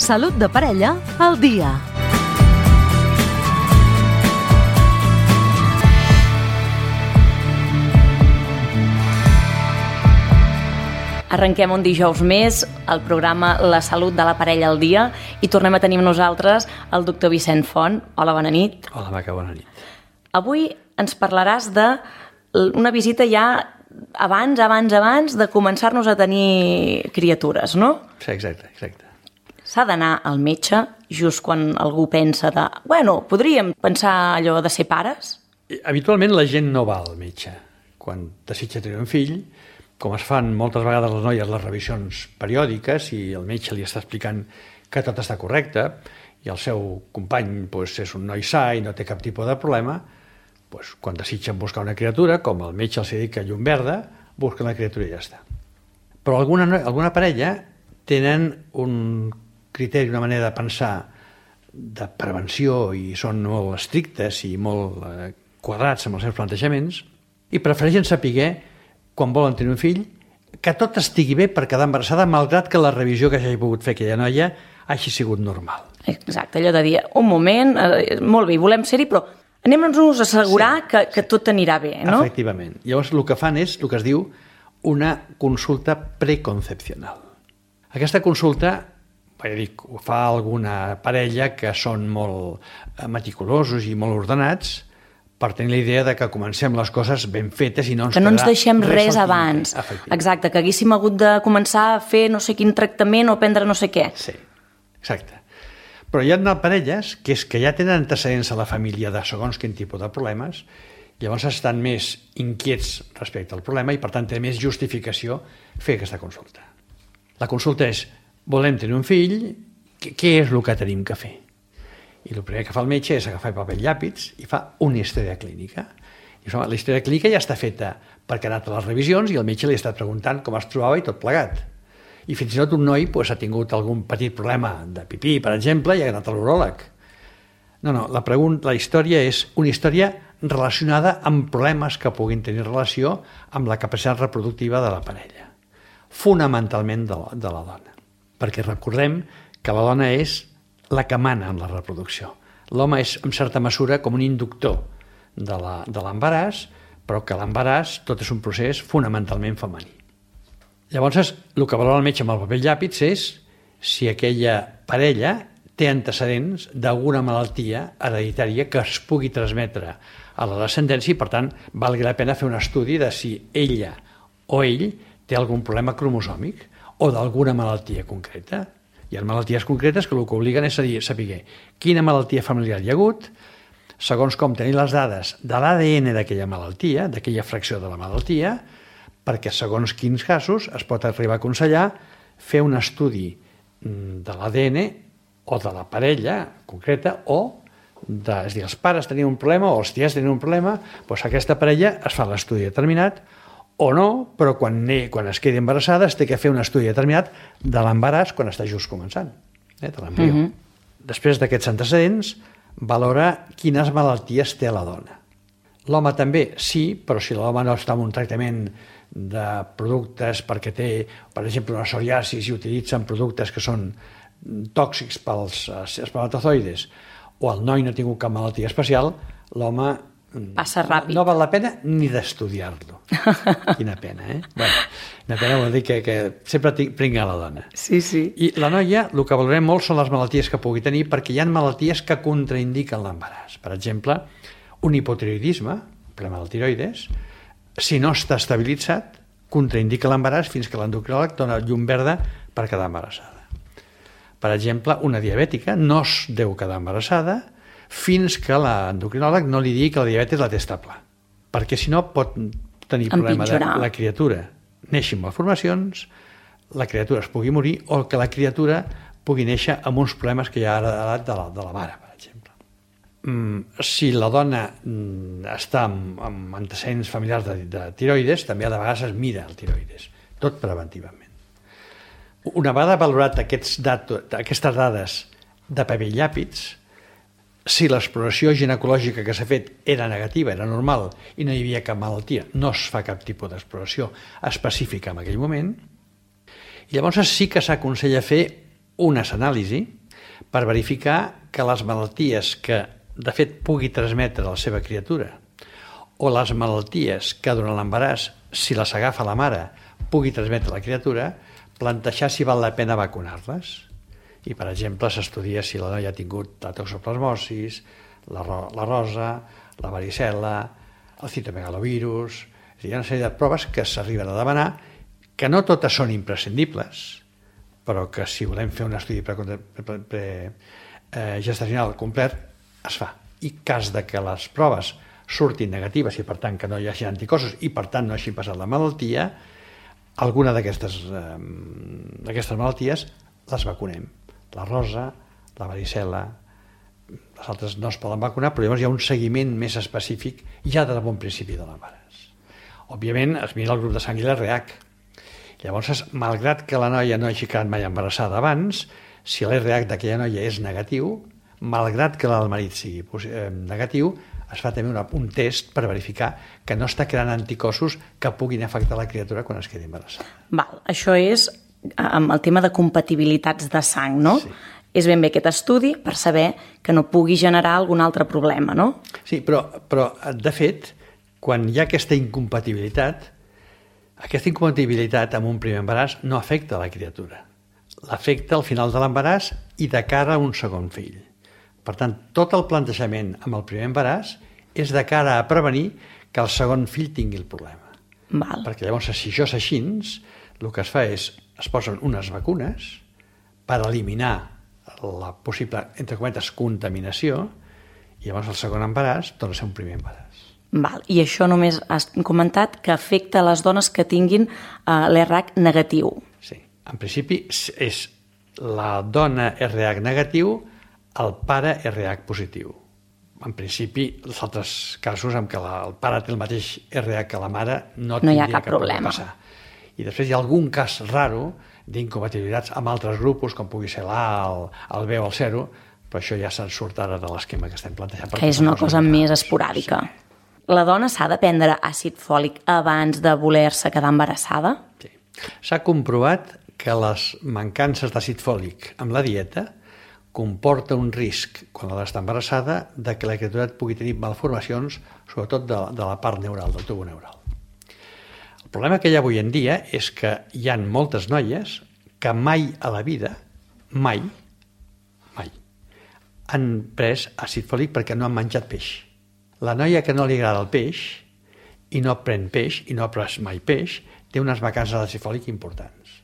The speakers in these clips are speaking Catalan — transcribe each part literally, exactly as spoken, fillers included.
Salut de parella al dia. Arrenquem un dijous més el programa La Salut de la Parella al Dia i tornem a tenir amb nosaltres el doctor Vicent Font. Hola, bona nit. Hola, Maca, bona nit. Avui ens parlaràs d'una visita ja abans, abans, abans de començar-nos a tenir criatures, no? Sí, exacte, exacte. S'ha d'anar al metge just quan algú pensa de... Bueno, podríem pensar allò de ser pares? Habitualment la gent no va al metge quan desitja tenir un fill, com es fan moltes vegades les noies les revisions periòdiques i el metge li està explicant que tot està correcte i el seu company doncs, és un noi sa i no té cap tipus de problema, doncs, quan desitgen buscar una criatura, com el metge els dedica llum verda, busquen la criatura i ja està. Però alguna, alguna parella tenen un criteri, una manera de pensar de prevenció i són molt estrictes i molt eh, quadrats amb els seus plantejaments i prefereixen saber quan volen tenir un fill, que tot estigui bé per quedar embarassada, malgrat que la revisió que hagi pogut fer aquella noia hagi sigut normal. Exacte, allò de dir, un moment, eh, molt bé, volem ser-hi, però anem-nos a assegurar sí, que, que tot anirà bé, no? Efectivament. Llavors, el que fan és el que es diu una consulta preconcepcional. Aquesta consulta, ja dic, ho fa alguna parella que són molt meticulosos i molt ordenats, per tenir la idea de que comencem les coses ben fetes i no ens que no ens quedarà deixem res, res abans. Exacte, que haguéssim hagut de començar a fer no sé quin tractament o prendre no sé què. Sí, exacte. Però hi ha parelles que és que ja tenen antecedents a la família de segons quin tipus de problemes, llavors estan més inquiets respecte al problema i per tant té més justificació fer aquesta consulta. La consulta és, volem tenir un fill, què és el que tenim que fer? I el primer que fa el metge és agafar paper i llàpids i fa una història clínica. I la història clínica ja està feta perquè ha anat a les revisions i el metge li està preguntant com es trobava i tot plegat. I fins i tot un noi pues, ha tingut algun petit problema de pipí, per exemple, i ha anat a l'uròleg. No, no, la, pregunta, la història és una història relacionada amb problemes que puguin tenir relació amb la capacitat reproductiva de la parella. Fonamentalment de la, de la dona. Perquè recordem que la dona és la que mana en la reproducció. L'home és, en certa mesura, com un inductor de l'embaràs, però que l'embaràs tot és un procés fonamentalment femení. Llavors, el que valora el metge amb el paper i llàpids és si aquella parella té antecedents d'alguna malaltia hereditària que es pugui transmetre a la descendència i, per tant, valgui la pena fer un estudi de si ella o ell té algun problema cromosòmic o d'alguna malaltia concreta. Hi ha malalties concretes que el que obliguen és a dir, saber quina malaltia familiar hi ha hagut, segons com tenir les dades de l'A D N d'aquella malaltia, d'aquella fracció de la malaltia, perquè segons quins casos es pot arribar a aconsellar fer un estudi de l'A D N o de la parella concreta o, de, és a dir, els pares tenien un problema o els tiets tenien un problema, doncs aquesta parella es fa l'estudi determinat o no, però quan, quan es quedi embarassada es té que fer un estudi determinat de l'embaràs quan està just començant, eh, de l'embrió. Uh-huh. Després d'aquests antecedents, valora quines malalties té la dona. L'home també, sí, però si l'home no està en un tractament de productes perquè té, per exemple, una psoriasis i utilitzen productes que són tòxics pels espermatozoides o el noi no ha tingut cap malaltia especial, l'home passa ràpid. No val la pena ni d'estudiar-lo. Quina pena, eh? Bueno, una pena vol dir que, que sempre pringa la dona. Sí, sí. I la noia, el que valorem molt són les malalties que pugui tenir, perquè hi ha malalties que contraindiquen l'embaràs. Per exemple, un hipotiroidisme, problema del tiroides, si no està estabilitzat, contraindica l'embaràs fins que l'endocrinòleg dona llum verda per quedar embarassada. Per exemple, una diabètica no es deu quedar embarassada fins que l'endocrinòleg no li digui que la diabetis la té estable, perquè si no pot tenir problema de la criatura neixi amb malformacions, la criatura es pugui morir o que la criatura pugui néixer amb uns problemes que ja ha heredat de la, de la mare, per exemple. Mm, si la dona mm, està amb, amb antecedents familiars de, de tiroides, també a vegades es mira el tiroides, tot preventivament. Una vegada valorat aquests datos, aquestes dades de paper i llàpids, si l'exploració ginecològica que s'ha fet era negativa, era normal i no hi havia cap malaltia, no es fa cap tipus d'exploració específica en aquell moment, i llavors sí que s'aconsella fer unes anàlisis per verificar que les malalties que de fet pugui transmetre la seva criatura o les malalties que durant l'embaràs, si les agafa la mare, pugui transmetre la criatura, plantejar si val la pena vacunar-les. I, per exemple, s'estudia si la noia ha tingut la toxoplasmosis, la, ro la rosa, la varicel·la, el citomegalovirus. Hi ha una sèrie de proves que s'arriben a demanar, que no totes són imprescindibles, però que si volem fer un estudi pre-gestacional pre, pre, eh, complet, es fa. I cas de que les proves surtin negatives i per tant que no hi hagi anticossos i per tant no hagi passat la malaltia, alguna d'aquestes eh, d'aquestes malalties les vacunem. La rosa, la varicel·la, les altres no es poden vacunar, però llavors hi ha un seguiment més específic ja de bon principi de l'embaràs. Òbviament es mira el grup de sang i l'R H. Llavors, malgrat que la noia no hagi quedat mai embarassada abans, si l'R H d'aquella noia és negatiu, malgrat que el marit sigui negatiu, es fa també una, un test per verificar que no està creant anticossos que puguin afectar la criatura quan es quedi embarassada. Val, això és amb el tema de compatibilitats de sang, no? Sí. És ben bé aquest estudi per saber que no pugui generar algun altre problema, no? Sí, però, però de fet, quan hi ha aquesta incompatibilitat, aquesta incompatibilitat amb un primer embaràs no afecta la criatura. L'afecta al final de l'embaràs i de cara a un segon fill. Per tant, tot el plantejament amb el primer embaràs és de cara a prevenir que el segon fill tingui el problema. Val. Perquè llavors, si això és així, el que es fa és, es posen unes vacunes per eliminar la possible, entre cometes, contaminació i llavors el segon embaràs torna a ser un primer embaràs. Val. I això només has comentat que afecta les dones que tinguin uh, l'R H negatiu. Sí. En principi és la dona R H negatiu, el pare R H positiu. En principi, els altres casos en què la, el pare té el mateix R H que la mare no, no hi ha cap, cap problema. Passar. I després hi ha algun cas raro d'incompatibilitats amb altres grupos, com pugui ser l'A, el, el B o el zero, però això ja se'n surt ara de l'esquema que estem plantejant. Que és una cosa més esporàdica. Sí. La dona s'ha de prendre àcid fòlic abans de voler-se quedar embarassada? Sí. S'ha comprovat que les mancances d'àcid fòlic amb la dieta comporta un risc, quan l'ha d'estar embarassada, de que la criatura pugui tenir malformacions, sobretot de, de la part neural, del tubo neural. El problema que hi ha avui en dia és que hi ha moltes noies que mai a la vida, mai, mai, han pres àcid fòlic perquè no han menjat peix. La noia que no li agrada el peix i no pren peix i no ha pres mai peix, té unes mancances d'àcid fòlic importants.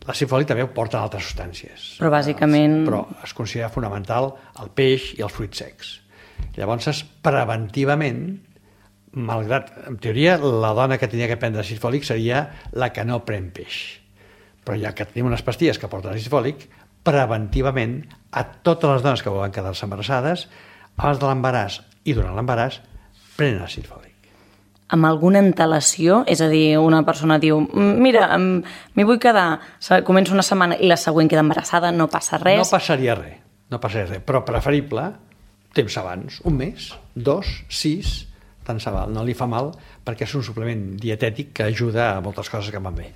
L'àcid fòlic també ho porten altres substàncies. Però bàsicament... Però es considera fonamental el peix i els fruits secs. Llavors, preventivament, malgrat, en teoria, la dona que tenia que prendre àcid fòlic seria la que no pren peix. Però ja que tenim unes pastilles que porten àcid fòlic, preventivament, a totes les dones que volen quedar-se embarassades, abans de l'embaràs i durant l'embaràs, prenen àcid fòlic. Amb alguna antelació, és a dir, una persona diu, mira, m'hi vull quedar, comença una setmana i la següent queda embarassada, no passa res. No passaria res, no passaria res, però preferible temps abans, un mes, dos, sis, tant se val, no li fa mal, perquè és un suplement dietètic que ajuda a moltes coses que van bé.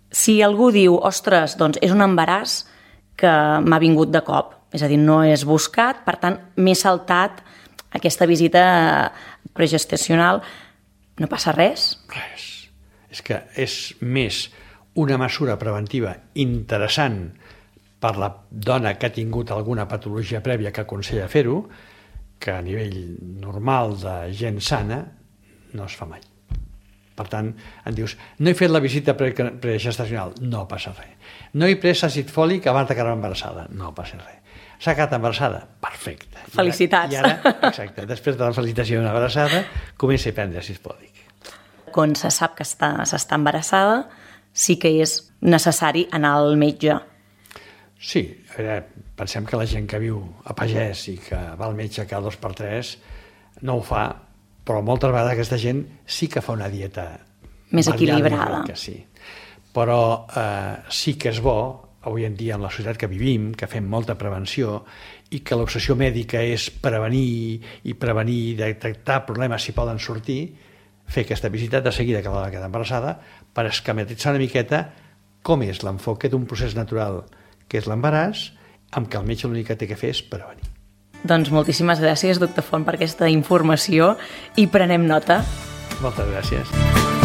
Si algú diu, ostres, doncs és un embaràs que m'ha vingut de cop, és a dir, no és buscat, per tant, m'he saltat aquesta visita pregestacional, no passa res? Res. És que és més una mesura preventiva interessant per la dona que ha tingut alguna patologia prèvia que aconsella fer-ho, que a nivell normal de gent sana no es fa mai. Per tant, em dius, no he fet la visita pregestacional, no passa res. No he pres àcid fòlic abans de quedar embarassada, no passa res. S'ha quedat embarassada? Perfecte. Felicitats. I ara, i ara, exacte, després de la felicitació d'una embarassada, comença a prendre àcid fòlic. Quan se sap que està, s'està embarassada, sí que és necessari anar al metge. Sí, a veure, pensem que la gent que viu a pagès i que va al metge cada dos per tres no ho fa, però moltes vegades aquesta gent sí que fa una dieta més equilibrada. Que sí. Però eh, sí que és bo, avui en dia en la societat que vivim, que fem molta prevenció i que l'obsessió mèdica és prevenir i prevenir, detectar problemes si poden sortir, fer aquesta visita de seguida que la queda embarassada per esquematitzar una miqueta com és l'enfoque d'un procés natural que és l'embaràs, amb què el metge l'únic que té que fer és prevenir. Doncs moltíssimes gràcies, doctor Font, per aquesta informació i prenem nota. Moltes gràcies.